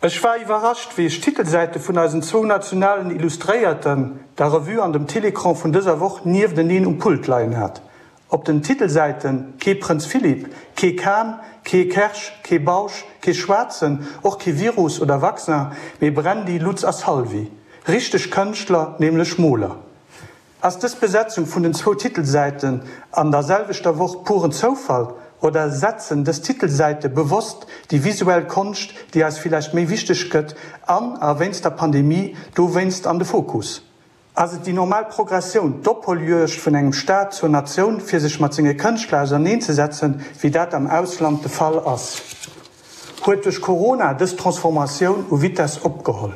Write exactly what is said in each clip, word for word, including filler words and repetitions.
Ech war iwwerrascht, wéi ech d'Titelsäite vun eisen zwou nationalen Illustréierten, der Revue an dem Télécran vun dëser Woch niefteneen um Pult leien hat. Op den Titelsäite kee Prënz Philippe, kee Kahn, kee Kersch, kee Bausch, kee Schwaarzen, och kee Virus oder Vaccin, mee Brandy, Lutz a Salvi. Richteg Kënschtler, nämlech Moler. Ass dës Besetzung vun den zwou Titelsäiten an der selwechter Woch puren Zoufall oder setzen dës Titelsäite bewosst déi visuell Konscht, déi eis villäicht méi wichteg gëtt an a wéinst der Pandemie dowéinst an de Fokus? Ass et déi normal Progressioun, d'Opholjuegd vun engem Staat zur Natioun, fir sech mat senge Kënschtler auserneenzesetzen, wéi dat am Ausland de Fall ass? Huet duerch Corona dës Transformatioun u Vitess opgeholl?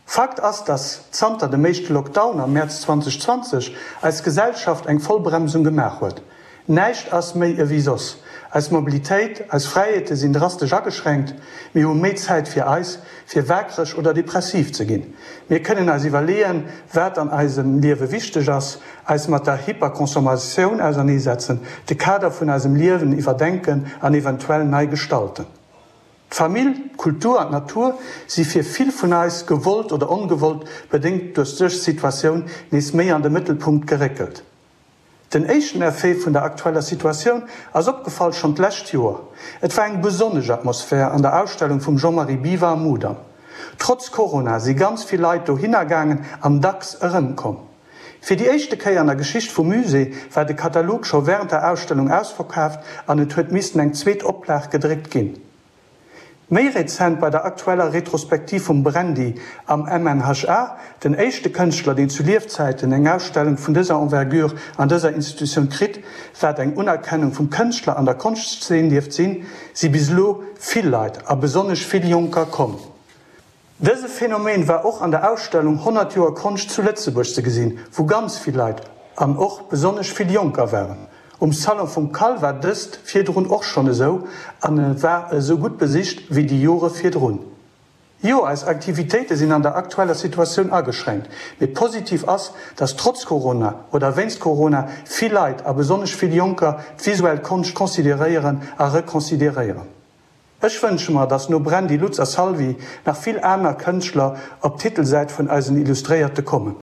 Fakt ass, dass zanter dem éischte Lockdown am Mäerz zweitausendzwanzeg eis Gesellschaft eng Vollbremsung gemaach huet. Näischt ass méi ewéi soss. Eis Mobilitéit, eis Fräiheete sinn drastesch ageschränkt. Mir hu méi Zäit fir eis, fir waakreg oder depressiv ze ginn. Mir kënnen eis iwwerleeën, wat an eisem Liewe wichteg ass, eis mat der Hyperconsommatioun auserneesetzen, de Kader vun eisem Liewen iwwerdenken an eventuell nei gestalten. D'Famill, d'Kultur an d'Natur si fir vill vun eis, gewollt oder ongewollt, bedéngt duerch dës Situatioun, nees méi an de Mëttelpunkt geréckelt. Den éischten Effet vun der aktueller Situatioun ass opgefall schonn d'lescht Joer. Et war eng besonnesch Atmosphär an der Ausstellung vum Jean-Marie Biwer am Mudam. Trotz Corona si ganz vill Leit dohinner gaangen an dacks erëmkomm. Fir déi éischte Kéier an der Geschicht vum Musée war de Katalog scho wärend der Ausstellung ausverkaaft an et huet missten eng zweet Oplag gedréckt ginn. Méi rezent bei der aktueller Retrospektiv vum Brandy am M N H A, den éischte Kënschtler, deen zu Liefzäiten eng Ausstellung vun dëser Envergure an dëser Institutioun kritt, wat eng Unerkennung vum Kënschtler an der Konschtzeen dierft sinn, si bis elo vill Leit a besonnesch vill Jonker komm. Dëse Phänomen war och an der Ausstellung honnert Joer Konscht zu Lëtzebuerg ze gesinn, wou ganz vill Leit an och besonnesch vill Jonker waren. Um Salon vum CAL war dëst virdrun och schonn esou an e war esou gutt besicht wéi déi Jore virdrun. Jo, eis Aktivitéite sinn an der aktueller Situatioun ageschränkt, mee positiv ass, dass trotz Corona oder wéinst Corona vill Leit a besonnesch vill Jonker d'visuell Konscht consideréieren a reconsideréieren. Ech wënsche mer, dass no Brandy, Lutz a Salvi nach vill aner Kënschtler op d'Titelsäit vun eisen Illustréierte kommen.